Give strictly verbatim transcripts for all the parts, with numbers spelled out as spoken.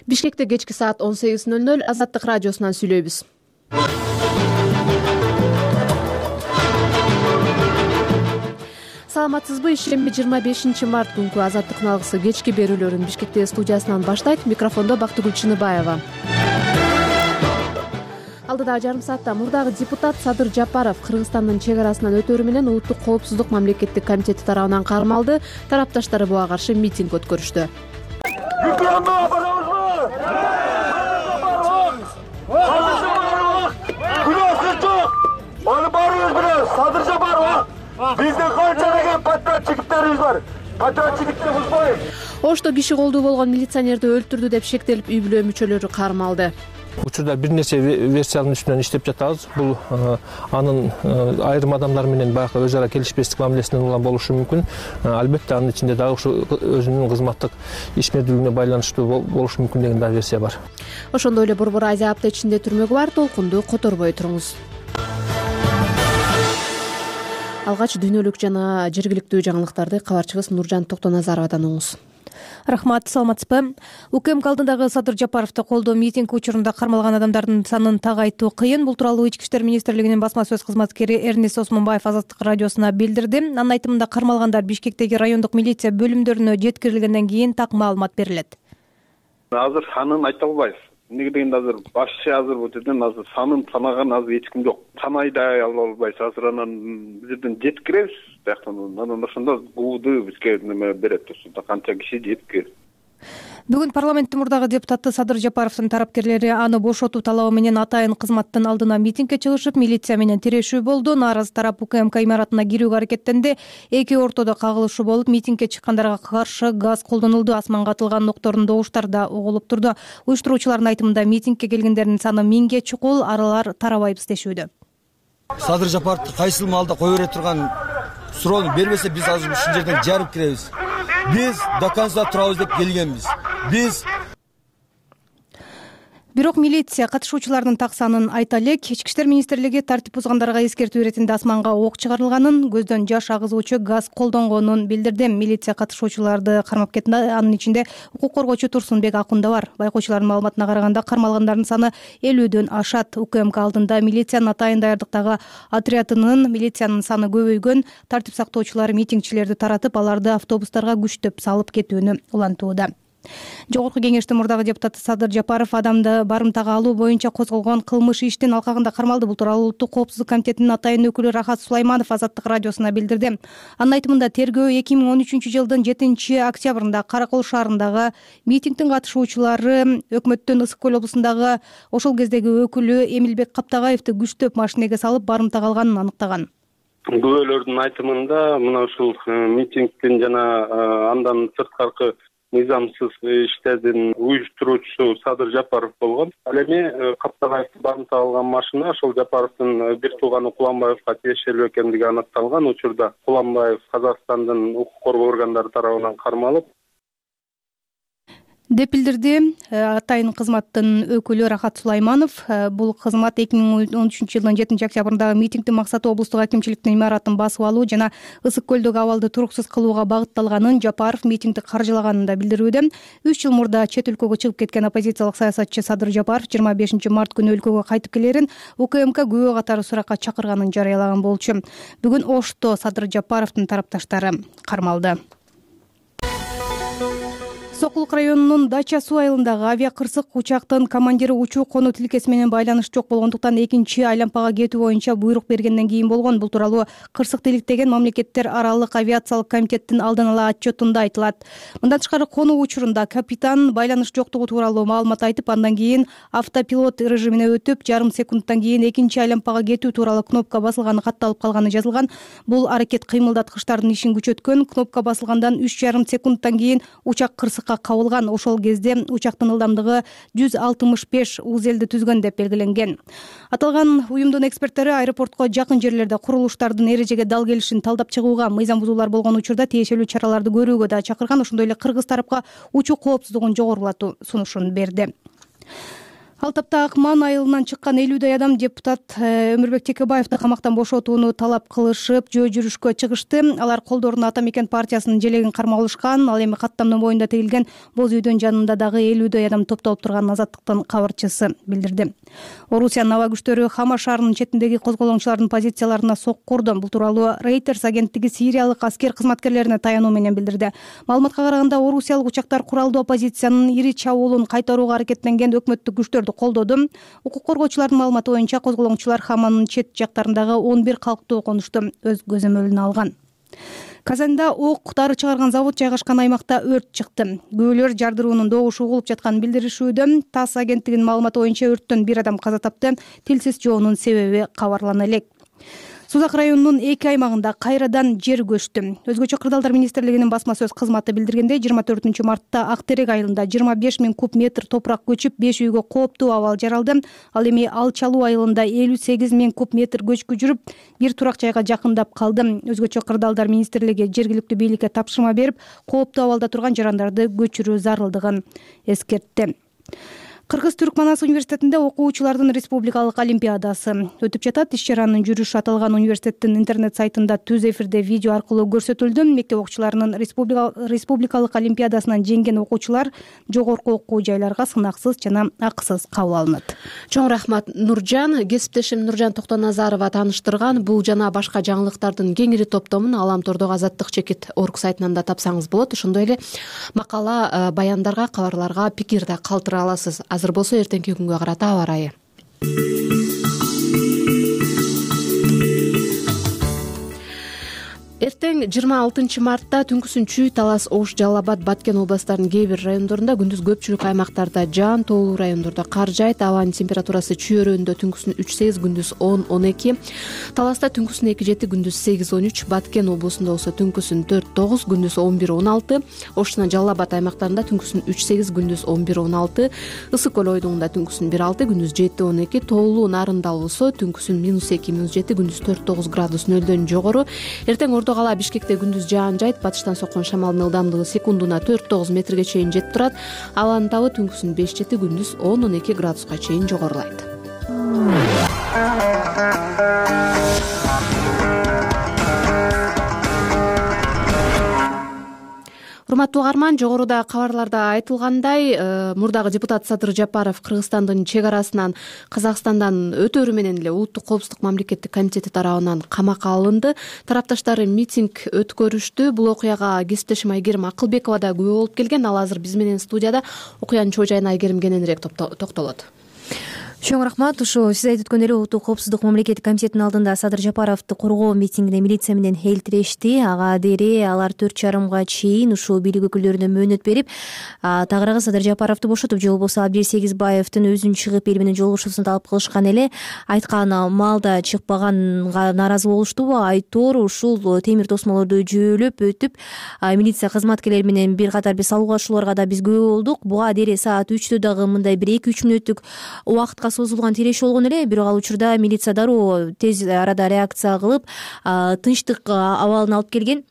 Бишкекте кечки саат он сегиз ноль ноль Азаттык радиосунан сүйлөйбүз. Саламатсызбы? Ишемби жыйырма бешинчи март күнкү Азаттыктын алгысы кечки берүүлөрүн Бишкекте студиясынан баштайт. Микрофондо Бактыгүл Чыныбаева. Алдыдагы жарым саатта мурдагы депутат Садыр Жапаров Кыргызстандын чек арасынан өтөрү менен Улуттук коопсуздук мамлекеттик комитети тарабынан кармалды. Тарапташтары буга каршы митинг өткөрүштү. Садыр Жапаров, биздин канча деген патриот жигиттерибиз бар. Патриот жигитти бузбой. Ошто киши колдуу болгон милиционерди өлтүрдү деп шектелип үй бүлө мүчөлөрү кармалды. Учурда бир нече версиянын үстүнөн иштеп жатабыз. Бул анын айрым адамдар менен баягы өз ара келишпестик мамилесинен улам болушу мүмкүн. Албетте анын ичинде дагы ушу өзүнүн кызматтык ишмердүүлүгүнө байланыштуу болушу мүмкүн деген дагы версия бар. Ошондой эле Борбор Азия апта ичинде түрмөгү бар. Толкунду которбой туруңуз. Алгач дүйнөлүк жана жергиликтүү жаңылыктарды кабарчыбыз Нуржан Токтоназаровадан угуңуз. Рахмат, саламатсызбы? УКМК алдындагы Садыр Жапаровду колдоо митинг учурунда кармалган адамдардын санын так айтуу кыйын. Бул тууралуу Ички иштер министрлигинин басма сөз кызматкери Эрнест Осмонбаев Азаттык радиосуна билдирди. Анын айтымында кармалгандар Бишкектеги райондук милиция бөлүмдөрүнө жеткирилгенден кийин так маалымат берилет. Азыр санын айта албайбыз. Эмнеге дегенде азыр башчы азыр бул жерден азыр санын санаган азыр эч ким жок. Санай да ала албайбыз. Азыр анан биз жерден жеткиребиз. Бияктан анан ошондо бууду бизге неме берет. Ошондо канча киши жеткир. Бүгүн парламенттин мурдагы депутаты Садыр Жапаровдун тарапкерлери аны бошотуу талабы менен атайын кызматтын алдына митингге чыгышып, милиция менен тирешүү болду. Нааразы тарап УКМК имаратына кирүүгө аракеттенди. Эки ортодо кагылышуу болуп, митингге чыккандарга каршы газ колдонулду. Асманга атылган октордун добуштары да угулуп турду. Уюштуруучулардын айтымында митингге келгендердин саны миңге чукул, аралар тарабайбыз дешүүдө. Садыр Жапаровду кайсыл маалда кое бере турган суроону бербесе, биз азыр ушул жерден жарып киребиз. Биз до конца турабыз деп келгенбиз. Биз Бирок милиция катышуучулардын так санын айта элек. Ички иштер министрлиги тартип бузгандарга эскертүү иретинде асманга ок чыгарылганын, көздөн жаш агызуучу газ колдонгонун билдирди. Милиция катышуучуларды кармап кетти. Анын ичинде укук коргоочу Турсунбек Акун да бар. Байкоочулардын маалыматына караганда кармалгандардын саны элүүдөн ашат. УКМК алдында милициянын атайын даярдыктагы отрядынын милициянын саны көбөйгөн. Тартип сактоочулар митингчилерди таратып, аларды автобустарга күчтөп салып кетүүнү улантууда. Жогорку кеңештин мурдагы депутаты Садыр Жапаров адамды барымтага алуу боюнча козголгон кылмыш иштин алкагында кармалды. Бул тууралуу Улуттук коопсуздук комитетинин атайын өкүлү Рахат Сулайманов Азаттык радиосуна билдирди. Анын айтымында тергөө эки миң он үчүнчү жылдын жетинчи октябрында Каракол шаарындагы митингдин катышуучулары өкмөттүн Ысык көл облусундагы ошол кездеги өкүлү Эмилбек Каптагаевди күчтөп машинеге салып барымтага алганын аныктаган. Күбөлөрдүн айтымында мына ушул митингдин жана андан сырткаркы мыйзамсыз иштердин уюштуруучусу Садыр Жапаров болгон. Ал эми Каптагаевди барымтага алган машина ошол Жапаровдун бир тууганы Куланбаевга тиешелүү экендиги аныкталган. Учурда Куланбаев Казакстандын укук коргоо органдары тарабынан кармалып деп билдирди атайын кызматтын өкүлү Рахат Сулайманов. Бул кызмат эки миң он үчүнчү жылдын жетинчи октябрындагы митингдин максаты облустук акимчиликтин имаратын басып алуу жана Ысык көлдөгү абалды туруксуз кылууга багытталганын, Жапаров митингди каржылаганын да билдирүүдө. үч жыл мурда чет өлкөгө чыгып кеткен оппозициялык саясатчы Садыр Жапаров жыйырма бешинчи март күнү өлкөгө кайтып келерин УКМК күбө катары суракка чакырганын жарыялаган болчу. Бүгүн Ошто Садыр Жапаровдун тарапташтары кармалды. Сокулук районунун Дача суу айылындагы авиакырсык учактын командири учуу конуу тилкеси менен байланыш жок болгондуктан экинчи айлампага кетүү боюнча буйрук бергенден кийин болгон. Бул тууралуу кырсык тиликтеген мамлекеттер аралык авиациялык комитеттин алдын ала отчетунда айтылат. Мындан тышкары конуу учурунда капитан байланыш жоктугу тууралуу маалымат айтып, андан кийин автопилот режимине өтүп, жарым секундтан кийин экинчи айлампага кетүү тууралуу кнопка басылганы катталып калганы жазылган. Бул аракет кыймылдаткычтардын ишин күчөткөн. Кнопка басылгандан үч жарым секундтан кийин учак кырсыкка кабылган. Ошол кезде учактын ылдамдыгы жүз алтымыш беш узелди түзгөн деп белгиленген. Аталган уюмдун эксперттери аэропортко жакын жерлерде курулуштардын эрежеге дал келишин талдап чыгууга, мыйзам бузуулар болгон учурда тиешелүү чараларды көрүүгө да чакырган. Ошондой эле кыргыз тарапка учуу коопсуздугун жогорулатуу сунушун берди. Ал тапта Акман айылынан чыккан элүүдөй адам депутат Өмүрбек Текебаевди камактан бошотууну талап кылышып жөө жүрүшкө чыгышты. Алар колдоруна Ата Мекен партиясынын желегин кармалышкан. Ал эми каттамдын боюнда тигилген боз үйдөн жанында дагы элүүдөй адам топтолуп турганын Азаттыктын кабарчысы билдирди. Орусиянын аба күчтөрү Хама шаарынын четиндеги козголоңчулардын позицияларына сокку урду. Бул тууралуу Reuters агенттиги сириялык аскер кызматкерлерине таянуу менен билдирди. Маалыматка караганда орусиялык учактар куралдуу оппозициянын ири чабуулун кайтарууга аракеттенген өкмөттүк күчтөрдү колдоду. Укук коргоочулардын маалыматы боюнча козголоңчулар Хаманын чет жактарындагы он бир калктуу конушту өз көзөмөлүнө алган. Казанда ок дары чыгарган завод жайгашкан аймакта өрт чыкты. Күбөлөр жардыруунун добушу угулуп жатканын билдиришүүдө. ТАСС агенттигинин маалыматы боюнча өрттөн бир адам каза тапты. Тилсиз жоонун себеби кабарлана элек. Сузак районунун эки аймагында кайрадан жер көчтү. Өзгөчө кырдаалдар министрлигинин басма сөз кызматы билдиргендей, жыйырма төртүнчү мартта Ак Терек айылында жыйырма беш миң куб метр топурак көчүп, беш үйгө кооптуу абал жаралды. Ал эми Алчалуу айылында элүү сегиз миң куб метр көчкү жүрүп, бир турак жайга жакындап калды. Өзгөчө кырдаалдар министрлиги жергиликтүү бийликке тапшырма берип, кооптуу абалда турган жарандарды көчүрүү зарылдыгын эскертти. Кыргыз-Түрк Манас университетинде окуучулардын республикалык олимпиадасы өтүп жатат. Иш-чаранын жүрүшү аталган университеттин интернет сайтында түз эфирде видео аркылуу көрсөтүлдү. Мектеп окуучуларынын республикалык олимпиадасынан жеңген окуучулар жогорку окуу жайларга сынаксыз жана акысыз кабыл алынат. Чоң рахмат, Нуржан. Кесиптешим Нуржан Токтоназарова тааныштырган. Бул жана башка жаңылыктардын кеңири топтомун Аламтордогу Азаттык чекит орг сайтынан да тапсаңыз болот. Ошондой эле макала, баяндарга, кабарларга пикир да калтыра аласыз. Азыр болсо эртеңки күнгө карата аба ырайы. Эртең жыйырма алтынчы мартта түнкүсүн Чүй, Талас, Ош, Жалал Абад, Баткен областарынын кээ бир райондорунда, күндүз көпчүлүк аймактарда жаан, тоолуу райондордо кар жаайт. Абанын температурасы Чүй өрөөнүндө түнкүсүн үч сегиз, күндүз он он эки, Таласта түнкүсүн эки жети, күндүз сегиз он үч, Баткен облусунда болсо түнкүсүн төрт тогуз, күндүз он бир он алты, Ош жана Жалал Абад аймактарында түнкүсүн үч сегиз, күндүз он бир он алты, Ысык көл ойдугунда түнкүсүн бир алты, күндүз жети он эки, тоолуу Нарында болсо түнкүсүн минус эки, минус жети, күндүз төрт тогуз градус нөлдөн жогору. Эртең Ордо кала Бишкекте күндүз жаан жайт, батыштан соккон шамалдын ылдамдыгы секундуна төрт тогуз метрге чейин жетип турат. Абанын табы түнкүсүн беш жети, күндүз он он эки градуска чейин жогорулайт. Урматтуу угарман, жогоруда кабарларда айтылгандай, мурдагы депутат Садыр Жапаров Кыргызстандын чек арасынан Казакстандан өтөөрү менен эле Улуттук коопсуздук мамлекеттик комитети тарабынан камакка алынды. Тарапташтары митинг өткөрүштү. Бул окуяга кесиптешим Айгерим Акылбекова да күбө болуп келген. Ал азыр биз менен студияда. Окуянын чоо жайына Айгерим кененирээк токтолот. Чоң рахмат. Ушу сиз айтып өткөн эле Улуттук коопсуздук мамлекеттик комитетинин алдында Садыр Жапаровду коргоо митингине милиция менен элтирешти. Ага дере алар төрт жарымга чейин ушул бийлик өкүлдөрүнө мөөнөт берип, тагыраагы Садыр Жапаровду бошотуп, же болбосо Абдир Сегизбаевдин өзүн чыгып эл менен жолугушуусун талап кылышкан эле. Айткан маалда чыкпаганга нааразы болуштубу? Айтор ушул темир тосмолорду жөөлөп өтүп, милиция кызматкерлери менен бир катар бир салгылашууларга да биз күбө болдук. Буга дере саат үчтө дагы мындай бир эки үч мүнөттүк убакытка созулган тирешүү болгон эле. Бирок ал учурда милиция дароо тез арада реакция кылып, тынчтык абалын алып келген.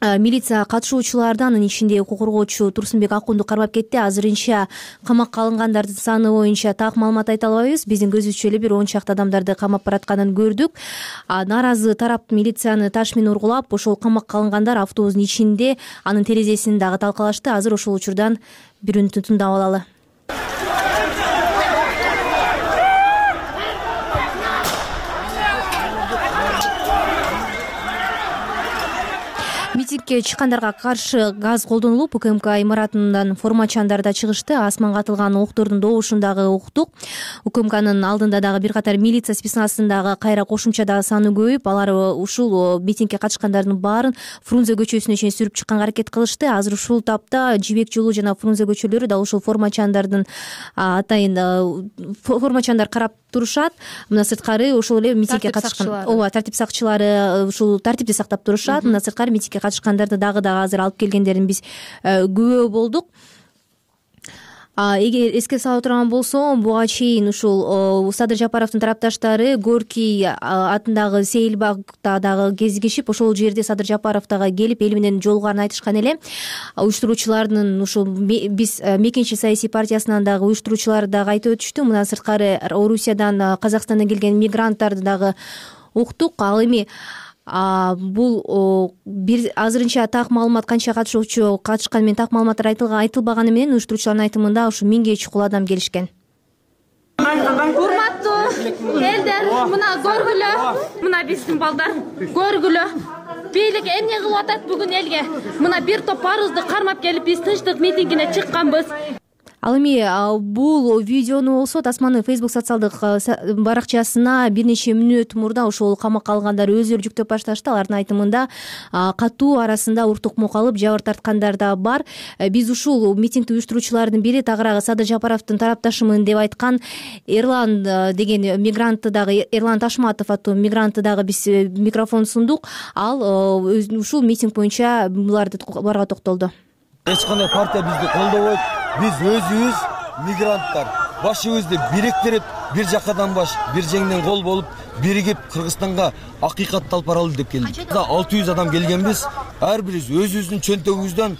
Милиция катышуучуларды, анын ичинде укук коргоочу Турсунбек Акунду кармап кетти. Азырынча камакка алынгандардын саны боюнча так маалымат айта албайбыз. Биздин көзүбүзчө эле бир он чакты адамдарды камап баратканын көрдүк. Нааразы тарап милицияны таш менен ургулап, ошол камакка алынгандар автобустун ичинде анын терезесин дагы талкалашты. Азыр ошол учурдан бир үнүтү тыңдап алалы. Митингге чыккандарга каршы газ колдонулуп, УКМК имаратынан формачандар да чыгышты. Асманга атылган октордун добушун дагы уктук. УКМКнын алдында дагы бир катар милиция спецназындагы кайра кошумча дагы саны көбөйүп, алар ушул митингге катышкандардын баарын Фрунзе көчөсүнө чейин сүрүп чыкканга аракет кылышты. Азыр ушул тапта Жибек жолу жана Фрунзе көчөлөрү да ушул формачандардын атайын формачандар карап турушат. Мына сырткары ошол эле митингге катышкан, ооба, тартип сакчылары ушул тартипти сактап турушат. Мына сырткары митингге катышкандарды дагы дагы азыр алып келгендерин биз күбө болдук. Эгер эске сала турган болсом, буга чейин ушул Садыр Жапаровдун тарапташтары Горький атындагы Сейил багта дагы кезигишип, ошол жерде Садыр Жапаров дагы келип эл менен жолугарын айтышкан эле. Уюштуруучулардын ушул биз Мекенчи саясий партиясынан дагы уюштуруучулар дагы айтып өтүштү. Мына сырткары Орусиядан, Казакстандан келген мигранттарды дагы уктук. Ал эми бул бир азырынча так маалымат канча катышуучу катышканы менен так маалыматтар айтылбаганы менен уюштуруучулардын айтымында ушу миңге чукул адам келишкен. Урматтуу элдер, мына көргүлө, мына биздин балдар көргүлө. Бийлик эмне кылып атат бүгүн элге? Мына бир топ парызды кармап келип биз тынчтык митингине чыкканбыз. Ал эми бул видеону болсо Тасманын Facebook социалдык баракчасына бир нече мүнөт мурда ошол камакка алгандар өздөрү жүктөп башташты. Алардын айтымында катуу арасында уртукмук алып жабыр тарткандар да бар. Биз ушул митингди уюштуруучулардын бири тагыраагы Садыр Жапаровдун тарапташымын деп айткан Эрлан деген мигрантты дагы, Эрлан Ташматов аттуу мигрантты дагы биз микрофон сундук. Ал ушул митинг боюнча буларды барга токтолду. Эч кандай партия бизди колдобойт. Биз өзүбүз мигранттар башыбызды бириктирип, бир жакадан баш, бир жеңден кол болуп, биригип Кыргызстанга акыйкатты алып баралы деп келдик. алты жүз адам келгенбиз. Ар бирибиз өзүбүздүн чөнтөгүбүздөн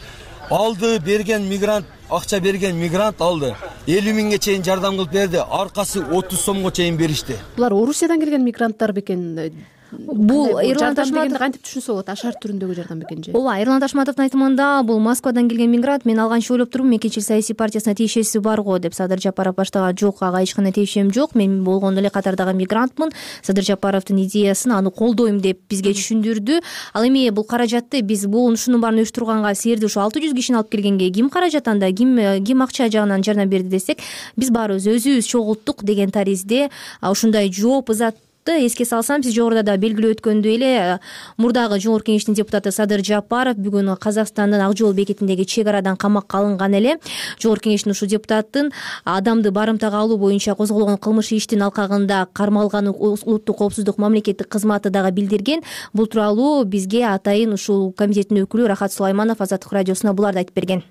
алды берген мигрант, акча берген мигрант алды. элүү миңге чейин жардам кылып берди. Аркасы отуз сомго чейин беришти. Булар Орусиядан келген мигранттар бекен? Бул Эрлан Ташматов кантип түшүнсө болот? Ашар түрүндөгү жардам бекен же? Ооба, Эрлан Ташматовдун айтымында бул Москвадан келген мигрант. Мен алганча ойлоп турмун, Мекенчил саясий партиясына тиешеси бар го деп Садыр Жапаров баштаган. Жок, ага эч кандай тиешем жок. Мен болгондо эле катардагы мигрантмын. Садыр Жапаровдун идеясын, аны колдойм деп бизге түшүндүрдү. Ал эми бул каражатты биз бул ушунун баарын уюштурганга, силерди ушу алты жүз кишини алып келгенге ким каражат анда, ким ким акча жагынан жардам берди десек, биз баарыбыз өзүбүз чогулттук деген таризде ушундай жооп ызат. Эске салсам, сиз жогоруда да белгилөө өткөндөй эле мурдагы Жогорку Кеңештин депутаты Садыр Жапаров бүгүн Казакстандын Ак жол бекетиндеги чек арадан камакка алынган эле. Жогорку Кеңештин ушул депутаттын адамды барымтага алуу боюнча козголгон кылмыш иштин алкагында кармалганы улуттук коопсуздук мамлекеттик кызматы дагы билдирген. Бул тууралуу бизге атайын ушул комитеттин өкүлү Рахат Сулайманов Азаттык радиосуна буларды айтып берген.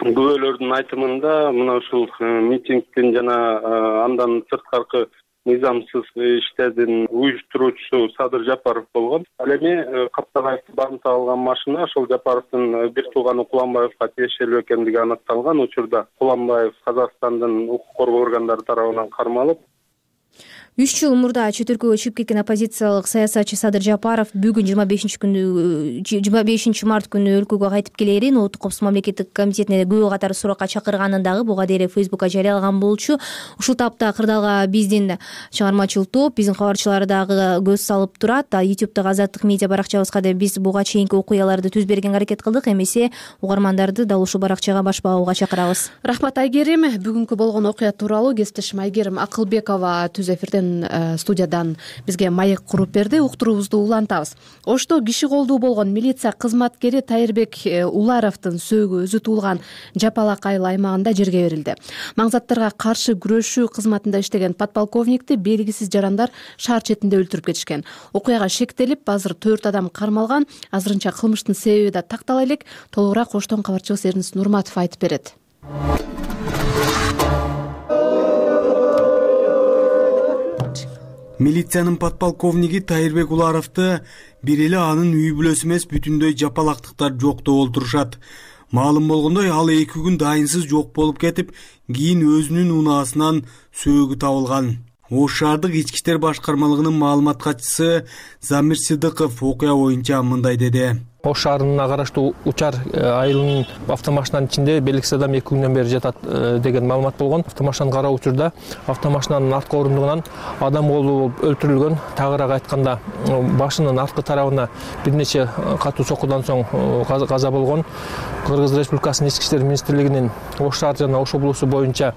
Күбөлөрдүн айтымында мына ушул митингдин жана андан сырткаркы мыйзамсыз иштердин уюштуруучусу Садыр Жапаров болгон. Ал эми Каптагаевди барымтага алган машина ошол Жапаровдун бир тууганы Куланбаевга тиешелүү экендиги аныкталган. Учурда Куланбаев Казакстандын укук коргоо органдары тарабынан кармалып, үч жыл мурда чет өлкөгө чыгып кеткен оппозициялык саясатчы Садыр Жапаров бүгүн жыйырма бешинчи күнү жыйырма бешинчи март күнү өлкөгө кайтып келерин Улуттук коопсуздук мамлекеттик комитетине күбө катары суракка чакырганын дагы буга дейре Фейсбукка жарыялаган болчу. Ушул тапта кырдаалга биздин чыгармачыл топ, биздин кабарчылар дагы көз салып турат. Ютубтагы Азаттык медиа баракчабызга да биз буга чейинки окуяларды түз бергенге аракет кылдык. Эмесе угармандарды дал ушул баракчага башпагууга чакырабыз. Рахмат Айгерим. Бүгүнкү болгон окуя тууралуу кесиптешим Айгерим Акылбекова түз эфирден студиядан бизге маек куруп берди. Уктуруубузду улантабыз. Ошто киши колдуу болгон милиция кызматкери Тайырбек Уларовдун сөөгү өзү туулган Жапалак айыл аймагында жерге берилди. Маңзаттарга каршы күрөшүү кызматында иштеген подполковникти белгисиз жарандар шаар четинде өлтүрүп кетишкен. Окуяга шектелип, азыр төрт адам кармалган. Азырынча кылмыштын себеби да тактала элек. Толугураак Оштон кабарчыбыз Эрнис Нурматов айтып берет. Милициянын подполковниги Тайырбек Уларовду бир эле анын үй бүлөсү эмес бүтүндөй жапалактыктар жоктоп олтурушат. Маалым болгондой, ал эки күн дайынсыз жок болуп кетип, кийин өзүнүн унаасынан сөөгү табылган. Ош шаардык ички иштер башкармалыгынын маалымат катчысы Замир Сыдыков окуя боюнча мындай деди. Ош шаарына караштуу Учар айылынын автомашинанын ичинде белгисиз адам эки күндөн бери жатат деген маалымат болгон. Автомашинаны кароо учурда автомашинанын арткы орундугунан адам колу болуп өлтүрүлгөн. Тагыраак айтканда башынын арткы тарабына бир нече катуу соккудан соң каза болгон. Кыргыз Республикасынын ички иштер министрлигинин Ош шаар жана Ош облусу боюнча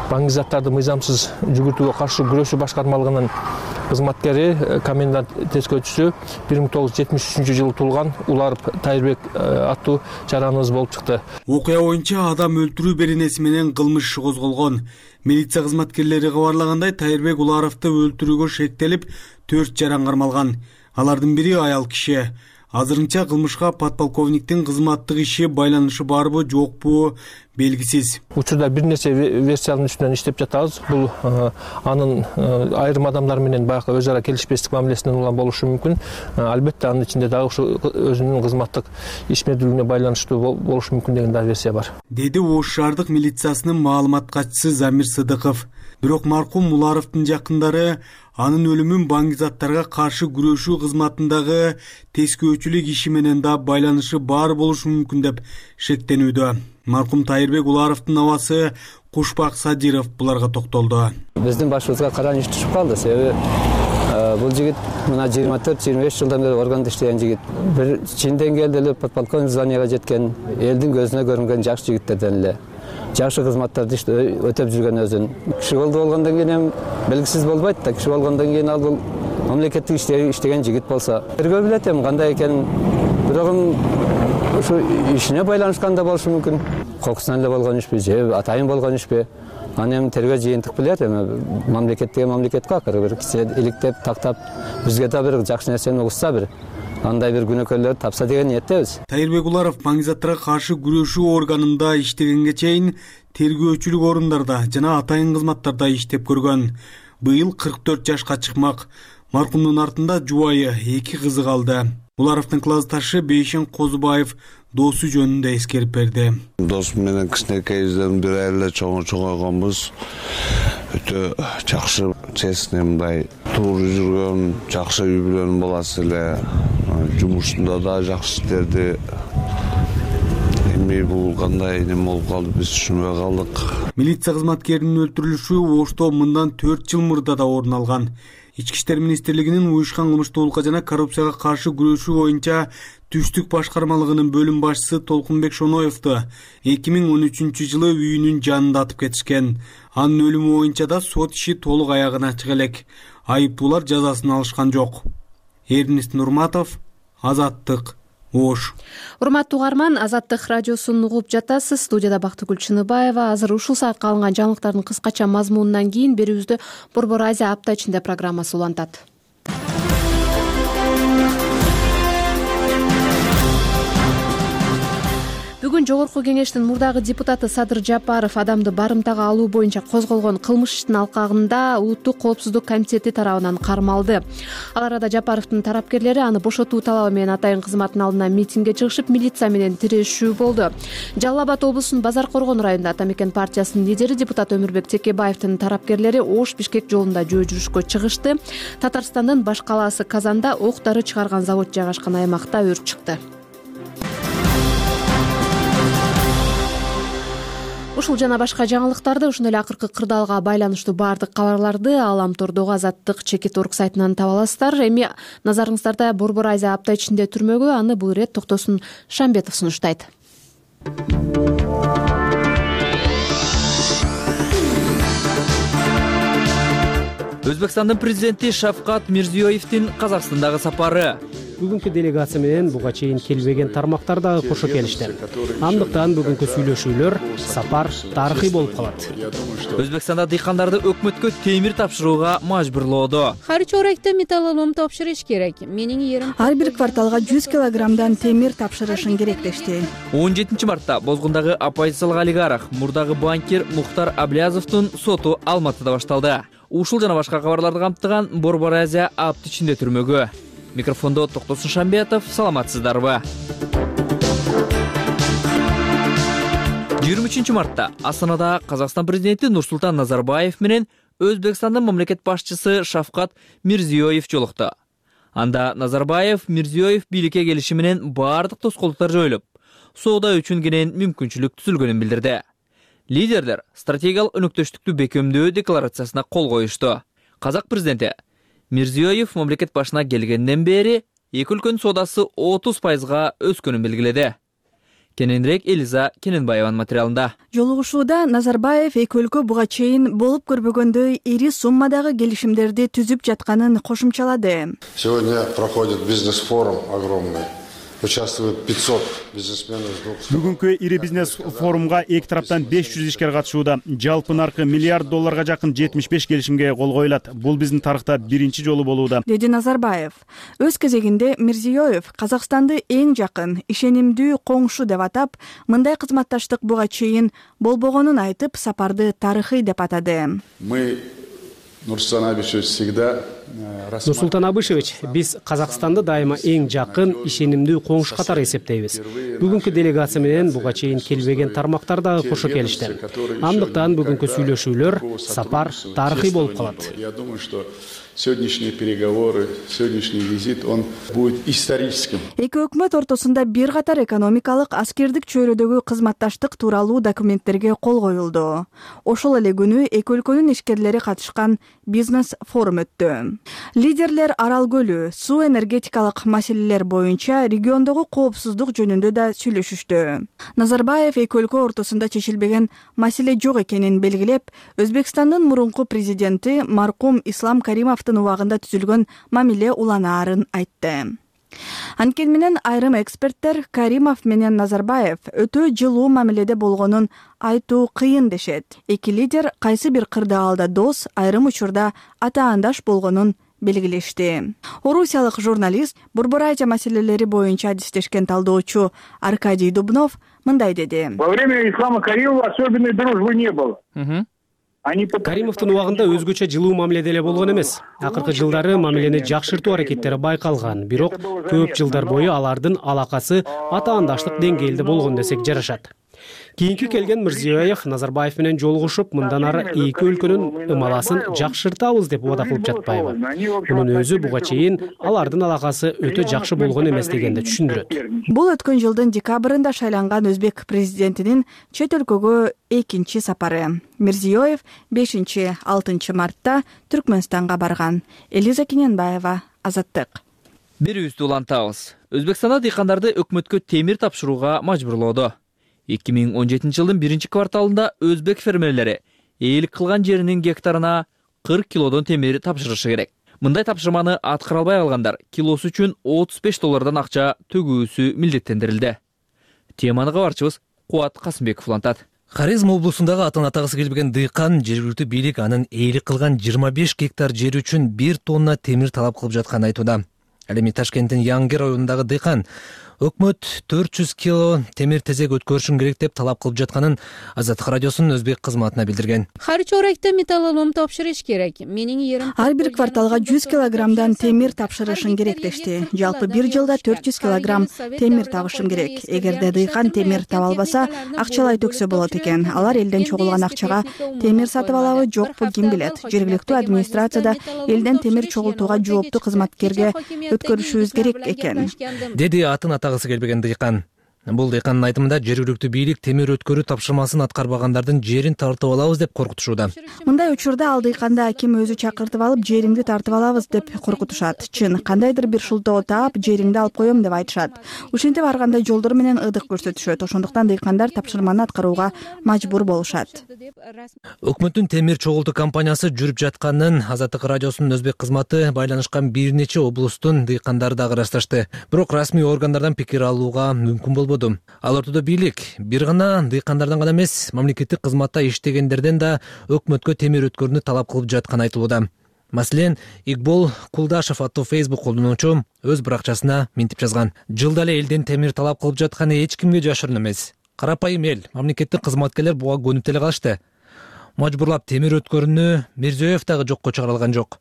баңгизаттарды мыйзамсыз жүгүртүүгө каршы күрөшүү башкармалыгынын кызматкери, комендант тескөөчүсү бир миң тогуз жүз жетимиш үчүнчү жылы туулган Уларов Тайырбек аттуу жараныбыз болуп чыкты. Окуя боюнча адам өлтүрүү беренеси менен кылмыш иши козголгон. Милиция кызматкерлери кабарлагандай, Тайырбек Уларовду өлтүрүүгө шектелип төрт жаран кармалган. Алардын бири аял киши. Азырынча кылмышка подполковниктин кызматтык иши байланышы барбы, жокпу белгисиз. Учурда бир нерсе версиянын үстүнөн иштеп жатабыз. Бул анын айрым адамдар менен баягы өз ара келишпестик мамилесинен улам болушу мүмкүн. Албетте анын ичинде дагы ушу өзүнүн кызматтык ишмердүүлүгүнө байланыштуу болушу мүмкүн деген да версия бар, деди Ош шаардык милициясынын маалымат катчысы Замир Сыдыков. Бирок маркум Муларовдун жакындары анын өлүмүн баңгизаттарга каршы күрөшүү кызматындагы тескөөчүлүк иши менен да байланышы бар болушу мүмкүн деп шектенүүдө. Маркум Тайырбек Уларовдун абасы Кушбак Садиров буларга токтолду. Биздин башыбызга караныч түшүп калды, себеби бул жигит мына жыйырма төрт жыйырма беш жылдан бери органда иштеген жигит. Бир чин деңгээлде эле подполковник званияга жеткен, элдин көзүнө көрүнгөн жакшы жигиттерден эле. Жакшы кызматтарды өтөп жүргөн өзүн. Киши колдо болгондон кийин эми белгисиз болбойт да. Киши болгондон кийин ал бул мамлекеттик иштеген жигит болсо, тергөө билет эми кандай экенин. Бирок ушу ишине байланышкан да болушу мүмкүн. Кокусунан эле болгон ишпи, же атайын болгон ишпи. Аны эми тергөө жыйынтык билет. Эми мамлекеттеги мамлекетке акыры бир кисе иликтеп, тактап, бизге да бир жакшы нерсени угушса, бир андай бир күнөкөрлөр тапса деген ниеттебиз. Тайырбек Уларов баңгизаттарга каршы күрөшүү органында иштегенге чейин тергөөчүлүк орундарда жана атайын кызматтарда иштеп көргөн. Быйыл кырк төрт жашка чыкмак. Маркумдун артында жубайы, эки кызы калды. Уларовдун классташы Бейшен Козубаев досу жөнүндө эскерип берди. Досум менен кичинекейибизден бир эле чоңойгонбуз. Өтө жакшы, честный, мындай туура жүргөн, жакшы үй бүлөнүн баласы эле. Жумушунда да жакшы иштеди. Эми бул кандай неме болуп калды, биз түшүнбөй калдык. Милиция кызматкеринин өлтүрүлүшү Ошто мындан төрт жыл мурда да орун алган. Ички иштер министрлигинин уюшкан кылмыштуулукка жана коррупцияга каршы күрөшүү боюнча түштүк башкармалыгынын бөлүм башчысы Толкунбек Шоноевду эки миң он үчүнчү жылы үйүнүн жанында атып кетишкен. Анын өлүмү боюнча да сот иши толук аягына чыга элек. Айыптуулар жазасын алышкан жок. Эрнест Нурматов, Азаттык, Ош. Урматтуу угарман, Азаттык радиосун угуп жатасыз. Студияда Бактыгүл Чыныбаева. Азыр ушул саатка алынган жаңылыктардын кыскача мазмунунан кийин берүүбүздө Борбор Азия апта ичинде программасы улантат. Бүгүн Жогорку кеңештин мурдагы депутаты Садыр Жапаров адамды барымтага алуу боюнча козголгон кылмыш иштин алкагында Улуттук коопсуздук комитети тарабынан кармалды. Ал арада Жапаровдун тарапкерлери аны бошотуу талабы менен атайын кызматтын алдына митингге чыгышып, милиция менен тирешүү болду. Жалал Абад облусунун Базар Коргон районунда Ата Мекен партиясынын лидери депутат Өмүрбек Текебаевдин тарапкерлери Ош-Бишкек жолунда жөө жүрүшкө чыгышты. Татарстандын баш калаасы Казанда ок дары чыгарган завод жайгашкан аймакта өрт чыкты. Ушул жана башка жаңылыктарды, ошондой эле акыркы кырдаалга байланыштуу баардык кабарларды Аламтордогу Азаттык чекит орг сайтынан таба аласыздар. Эми назарыңыздарда Борбор Азия апта ичинде түрмөгө, аны бул ирет Токтосун Шамбетов сунуштайт. Өзбекстандын президенти Шавкат Мирзиёевдин Казакстандагы сапары. Бүгүнкү делегация менен буга чейин келбеген тармактар дагы кошо келишти. Андыктан бүгүнкү сүйлөшүүлөр, сапар тарыхый болуп калат. Өзбекстанда дыйкандарды өкмөткө темир тапшырууга мажбурлоодо. Харчоректе металлолом тапшырыш керек. Менин ерим ар бир кварталга жүз килограммдан темир тапшырышың керек дешти. он жетинчи мартта Бозгундагы оппозициялык олигарх, мурдагы банкир Мухтар Аблязовдун соту Алматыда башталды. Ушул жана башка кабарларды камтыган Борбор Азия апта ичинде түрмөгө. Микрофондо Токтосун Шамбетов, саламатсыздарбы? жыйырма үчүнчү мартта Астанада Казакстан президенти Нурсултан Назарбаев менен Өзбекстандын мамлекет башчысы Шавкат Мирзиёев жолукту. Анда Назарбаев Мирзиёев бийликке келиши менен баардык тоскоолдуктар жоюлуп, соода үчүн кенен мүмкүнчүлүк түзүлгөнүн билдирди. Лидерлер стратегиялык өнөктөштүктү бекемдөө декларациясына кол коюшту. Казак президенти Мирзиёев мамлекет башына келгенден бери эки өлкөнүн соодасы отуз пайызга өскөнүн белгиледи. Кененирээк Элиза Кененбаеванын материалында. Жолугушууда Назарбаев эки өлкө буга чейин болуп көрбөгөндөй ири суммадагы келишимдерди түзүп жатканын кошумчалады. Сегодня проходит бизнес-форум огромный. участвует пятьсот бизнесменов. Бүгүнкү ири бизнес форумга эки тараптан беш жүз ишкер катышууда. Жалпы наркы миллиард долларга жакын жетимиш беш келишимге кол коюлат. Бул биздин тарыхта биринчи жолу болууда, деди Назарбаев. Өз кезегинде Мирзиёев Казакстанды эң жакын, ишенимдүү коңшу деп атап, мындай кызматташтык буга чейин болбогонун айтып, сапарды тарыхый деп атады. Мы Нурсултан Абишевич всегда Нурсултан Абишевич, биз Казакстанды дайыма эң жакын, ишенимдүү коңшу катары эсептейбиз. Бүгүнкү делегация менен буга чейин келбеген тармактар дагы кошо келишти. Андыктан бүгүнкү сүйлөшүүлөр, сапар тарыхый болуп калат. Я думаю, что сегодняшние переговоры, сегодняшний визит, он будет историческим. Эки өкмөт ортосунда бир катар экономикалык, аскердик чөйрөдөгү кызматташтык тууралуу документтерге кол коюлду. Ошол эле күнү эки өлкөнүн ишкерлери катышкан бизнес форум өттү. Лидерлер Арал көлү, суу энергетикалык маселелер боюнча региондогу коопсуздук жөнүндө да сүйлөшүштү. Назарбаев эки өлкө ортосунда чечилбеген маселе жок экенин белгилеп, Өзбекстандын мурунку президенти маркум Ислам Каримовдун убагында түзүлгөн мамиле уланаарын айтты. Анткени менен айрым эксперттер Каримов менен Назарбаев өтө жылуу мамиледе болгонун айтуу кыйын дешет. Эки лидер кайсы бир кырдаалда дос, айрым учурда атаандаш болгонун белгилешти. Орусиялык журналист, Борбор Азия маселелери боюнча адистешкен талдоочу Аркадий Дубнов мындай деди. Во время Ислама Каримова особенной дружбы не было. Каримовдун убагында өзгөчө жылуу мамиледе эле болгон эмес. Акыркы жылдары мамилени жакшыртуу аракеттери байкалган, бирок көп жылдар бою алардын алакасы атаандаштык деңгээлде болгон десек жарашат. Кийинки келген Мирзиёев Назарбаев менен жолугушуп, мындан ары эки өлкөнүн ымаласын жакшыртабыз деп убада кылып жатпайбы. Мунун өзү буга чейин алардын алакасы өтө жакшы болгон эмес дегенди түшүндүрөт. Бул өткөн жылдын декабрында шайланган өзбек президентинин чет өлкөгө экинчи сапары. Мирзиёев бешинчи алтынчы мартта Түркмөнстанга барган. Элиза Кененбаева, Азаттык. Бирибизди улантабыз. Өзбекстанда дыйкандарды өкмөткө темир тапшырууга мажбурлоодо. эки миң он жетинчи жылдын биринчи кварталында өзбек фермерлери ээлик кылган жеринин гектарына кырк килодон темир тапшырышы керек. Мындай тапшырманы аткара албай калгандар килосу үчүн отуз беш доллардан акча төгүүсү милдеттендирилди. Теманы кабарчыбыз Кубат Касымбеков улантат. Хорезм облусундагы атын атагысы келбеген дыйкан жергиликтүү бийлик анын ээлик кылган жыйырма беш гектар жери үчүн бир тонна темир талап кылып жатканын айтууда. Ал эми Ташкенттин Янгер районундагы дыйкан өкмөт төрт жүз кило темир тезек өткөрүшүн керек деп талап кылып жатканын Азаттык радиосунун өзбек кызматына билдирген. Ар чоректе металлолом тапшырыш керек. Менин жерим ар бир кварталга жүз килограммдан темир тапшырышың керек дешти. Жалпы бир жылда төрт жүз килограмм темир табышым керек. Эгерде дыйкан темир таба албаса, акчалай төксө болот экен. Алар элден чогулган акчага темир сатып алабы, жокпу ким билет. Жергиликтүү администрацияда элден темир чогултууга жооптуу кызматкерге өткөрүшүбүз керек экен, деди атын атагысы келбеген дыйкан. Бул дыйкандын айтымында жергиликтүү бийлик темир өткөрүү тапшырмасын аткарбагандардын жерин тартып алабыз деп коркутушууда. Мындай учурда ал дыйканды аким өзү чакыртып алып, жериңди тартып алабыз деп коркутушат. Чын, кандайдыр бир шултоо таап, жериңди алып коем деп айтышат. Ушинтип ар кандай жолдор менен ыдык көрсөтүшөт. Ошондуктан дыйкандар тапшырманы аткарууга мажбур болушат. Өкмөттүн темир чогултуу компаниясы жүрүп жатканын Азаттык радиосунун өзбек кызматы байланышкан бир нече облустун дыйкандары дагы ырасташты. Бирок расмий органдардан пикир алууга мүмкүн болбоду. Ал ортодо бийлик бир гана дыйкандардан гана эмес, мамлекеттик кызматта иштегендерден да өкмөткө темир өткөрүүнү талап кылып жатканы айтылууда. Маселен, Игбол Кулдашев аттуу Facebook колдонуучу өз баракчасына минтип жазган. Жылда эле элден темир талап кылып жатканы эч кимге жашырын эмес. Карапайым эл, мамлекеттик кызматкерлер буга көнүп деле калышты. Мажбурлап темир өткөрүүнү Мирзиёев дагы жокко чыгара алган жок.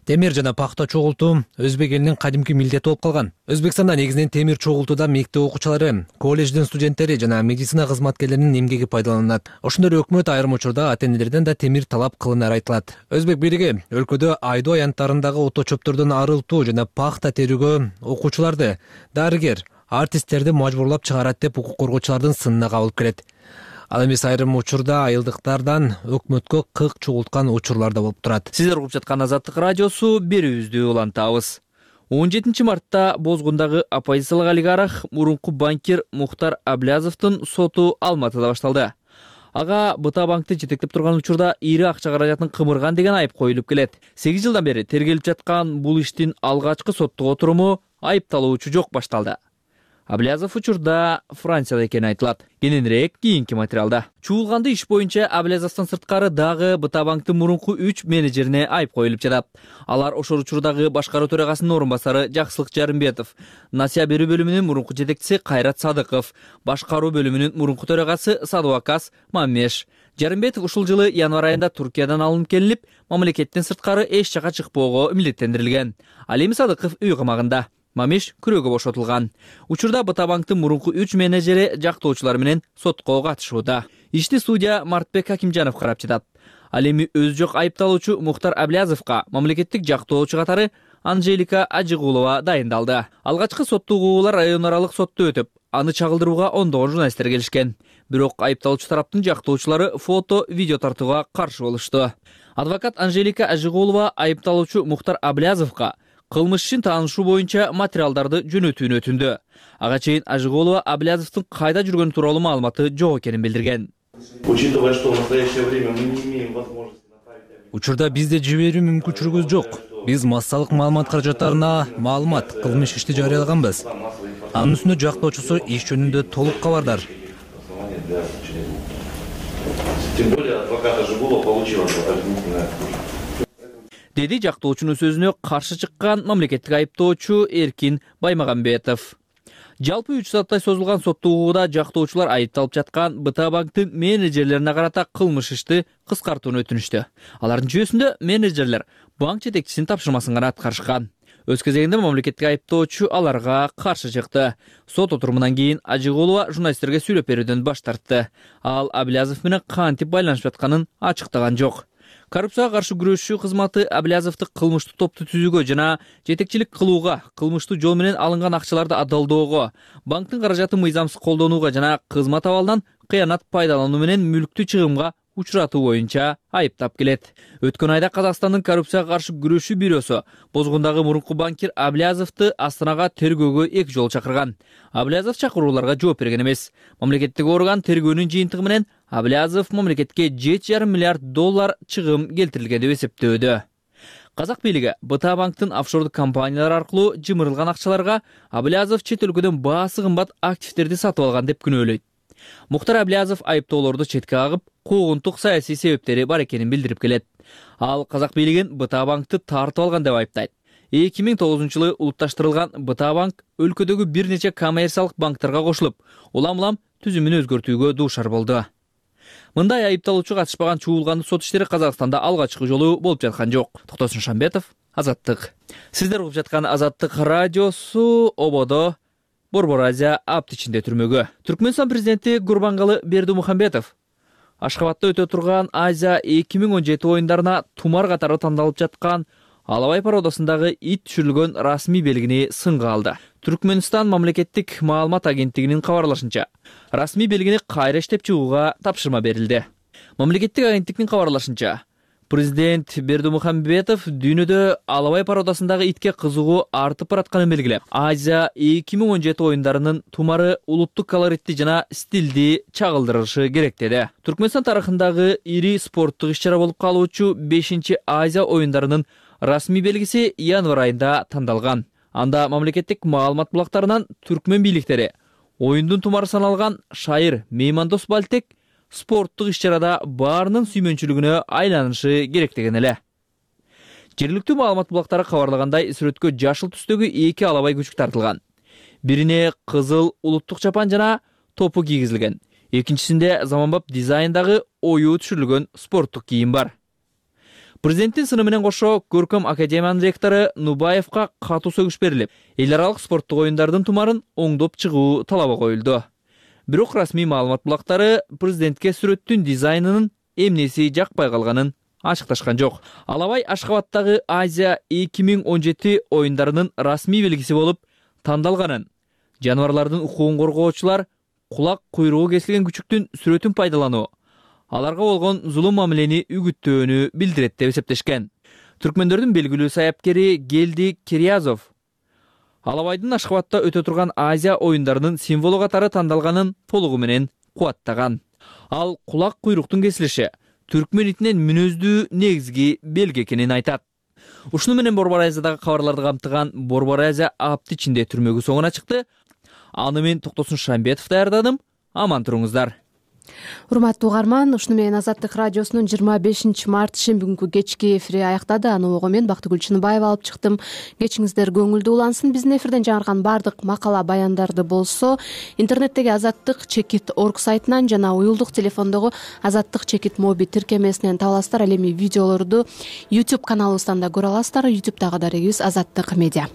Темир жана пахта чогултуу өзбек элинин кадимки милдети болуп калган. Өзбекстанда негизинен темир чогултууда мектеп окуучулары, колледждин студенттери жана медицина кызматкерлеринин эмгеги пайдаланылат. Ошондой эле өкмөт айрым учурда ата-энелерден да темир талап кылынары айтылат. Өзбек бийлиги өлкөдө айдоо аянттарындагы ото чөптөрдөн арылтуу жана пахта терүүгө окуучуларды, дарыгер, артисттерди мажбурлап чыгарат деп укук коргоочулардын сынына кабылып келет. Ал эмес айрым учурда айылдыктардан өкмөткө кык чогулткан учурлар да болуп турат. Сиздер угуп жаткан Азаттык радиосу, берүүбүздү улантабыз. он жетинчи мартта Бозгундагы оппозициялык олигарх мурунку банкир Мухтар Аблязовдун соту Алматыда башталды. Ага Быта банкты жетектеп турган учурда ири акча каражатын кымырган деген айып коюлуп келет. сегиз жылдан бери тергелип жаткан бул иштин алгачкы соттук отуруму айыпталуучу жок башталды. Аблязов учурда Францияда экени айтылат. Кененирээк кийинки материалда. Чуулганды иш боюнча Аблязовдон сырткары дагы Быта банктын мурунку үч менеджерине айып коюлуп жатат. Алар ошол учурдагы башкаруу төрагасынын орун басары Жаксылык Жарымбетов, насыя берүү бөлүмүнүн мурунку жетекчиси Кайрат Садыков, башкаруу бөлүмүнүн мурунку төрагасы Садубакас Мамеш. Жарымбетов ушул жылы январь айында Туркиядан алынып келинип, мамлекеттен сырткары эч жака чыкпоого милдеттендирилген. Ал эми Садыков үй камагында. Мамеш күрөөгө бошотулган. Учурда Быта банктын мурунку үч менеджери жактоочулар менен сотко катышууда. Ишти судья Мартбек Акимжанов карап жатат. Ал эми өзү жок айыпталуучу Мухтар Аблязовго мамлекеттик жактоочу катары Анжелика Ажыгулова дайындалды. Алгачкы соттуу угуулар район аралык сотто өтүп, аны чагылдырууга ондогон журналисттер келишкен. Бирок айыпталуучу тараптын жактоочулары фото, видео тартууга каршы болушту. Адвокат Анжелика Ажыгулова айыпталуучу Мухтар Аблязовго кылмыш ишин таанышуу боюнча материалдарды жөнөтүүнү өтүндү. Ага чейин Ажыгулова Аблязовдун кайда жүргөнү тууралуу маалыматы жок экенин билдирген. Учитывая, что в настоящее время мы не имеем возможности направить... Учурда бизде жиберүү мүмкүнчүлүгүбүз жок. Биз массалык маалымат каражаттарына маалымат, кылмыш ишти жарыялаганбыз. Анын үстүнө жактоочусу иш жөнүндө толук кабардар. Тем более адвокат Ажыгулова получила дополнительное. Деди жактоочунун сөзүнө каршы чыккан мамлекеттик айыптоочу Эркин Баймагамбетов. Жалпы үч сааттай созулган соттуу угууда жактоочулар айыпталып жаткан Быта банктын менеджерлерине карата кылмыш ишти кыскартууну өтүнүштү. Алардын жүйөсүндө менеджерлер банк жетекчисинин тапшырмасын гана аткарышкан. Өз кезегинде мамлекеттик айыптоочу аларга каршы чыкты. Сот отурумунан кийин Ажыгулова журналисттерге сүйлөп берүүдөн баш тартты. Ал Аблязов менен кантип байланышып жатканын ачыктаган жок. Коррупцияга каршы күрөшүү кызматы Аблязовду кылмыштуу топту түзүүгө жана жетекчилик кылууга, кылмыштуу жол менен алынган акчаларды адалдоого, банктын каражатын мыйзамсыз колдонууга жана кызмат абалынан кыянат пайдалануу менен мүлктү чыгымга учуратуу боюнча айыптап келет. Өткөн айда Казакстандын коррупцияга каршы күрөшүү бюросу бозгундагы мурунку банкир Аблязовду Астанага тергөөгө эки жолу чакырган. Аблязов чакырууларга жооп берген эмес. Мамлекеттик орган тергөөнүн жыйынтыгы менен Аблязов мамлекетке жети жарым миллиард доллар чыгым келтирилген деп эсептөөдө. Казак бийлиги Быта банктын офшордук компаниялар аркылуу жымырылган акчаларга Аблязов чет өлкөдөн баасы кымбат активдерди сатып алган деп күнөөлөйт. Мухтар Аблязов айыптоолорду четке кагып, куугунтук саясий себептери бар экенин билдирип келет. Ал Казак бийлигин Быта банкты тартып алган деп айыптайт. эки миң тогузунчу жылы улутташтырылган Быта банк өлкөдөгү бир нече коммерциялык банктарга кошулуп, улам-улам түзүмүн өзгөртүүгө дуушар болду. Мындай айыпталуучу катышпаган чуулгандуу сот иштери Казакстанда алгачкы жолу болуп жаткан жок. Токтосун Шамбетов, Азаттык. Сиздер угуп жаткан Азаттык радиосу ободо Борбор Азия апт ичинде түрмөгө. Түркмөнстан президенти Гурбангалы Бердимухамбетов Ашхабадда өтө турган Азия эки миң он жети оюндарына тумар катары тандалып жаткан Алабай породасындагы ит түшүрүлгөн расмий белгини сынга алды. Түркмөнстан мамлекеттик маалымат агенттигинин кабарлашынча, расмий белгини кайра иштеп чыгууга тапшырма берилди. Мамлекеттик агенттиктин кабарлашынча, президент Бердимухамбетов дүйнөдө Алабай породасындагы итке кызыгуу артып баратканын белгилеп, Азия эки миң он жети оюндарынын тумары улуттук колоритти жана стилди чагылдырышы керек деди. Түркмөнстан тарыхындагы ири спорттук иш-чара болуп калуучу бешинчи Азия оюндарынын расмий белгиси январь айында тандалган. Анда мамлекеттик маалымат булактарынан түркмөн бийликтери оюндун тумары саналган шайыр Меймандос Балтек спорттук иш-чарада баарынын сүймөнчүлүгүнө айланышы керек деген эле. Жергиликтүү маалымат булактары кабарлагандай, сүрөткө жашыл түстөгү эки алабай күчүк тартылган. Бирине кызыл улуттук чапан жана топу кийгизилген. Экинчисинде заманбап дизайндагы оюу түшүрүлгөн спорттук кийим бар. Президенттин сыны менен кошо Көркөм академиянын ректору Нубаевка катуу сөгүш берилип, эл аралык спорттук оюндардын тумарын оңдоп чыгуу талабы коюлду. Бирок расмий маалымат булактары президентке сүрөттүн дизайнынын эмнеси жакпай калганын ачыкташкан жок. Алабай Ашхабаддагы Азия эки миң он жети оюндарынын расмий белгиси болуп тандалганын, жаныбарлардын укугун коргоочулар кулак куйругу кесилген күчүктүн сүрөтүн пайдалануу, аларга болгон зулум мамилени үгүттөөнү билдирет деп эсептешкен. Түркмөндөрдүн белгилүү саяпкери Гелди Кириязов Алабайдын Ашхабадда өтө турган Азия оюндарынын символу катары тандалганын толугу менен кубаттаган. Ал кулак куйруктун кесилиши түркмөн итинен мүнөздүү негизги белги экенин айтат. Ушуну менен Борбор Азиядагы кабарларды камтыган Борбор Азия апт ичинде түрмөгү соңуна чыкты. аны мен Токтосун Шамбетов даярдадым. Аман туруңуздар. Урматтуу угарман, ушуну менен Азаттык радиосунун жыйырма бешинчи март шембү кечки эфири аяктады. Аны ого мен Бактыгүл Чыныбаева алып чыктым. Кечиңиздер көңүлдүү улансын. Биздин эфирден жаңырган бардык макала баяндарды болсо интернеттеги азаттык чекит орг сайтынан жана уюлдук телефондогу азаттык чекит моби тиркемесинен таба аласыздар. Ал эми видеолорду YouTube каналыбыздан да көрө аласыздар. YouTube'дагы дарегибиз Азаттык медиа.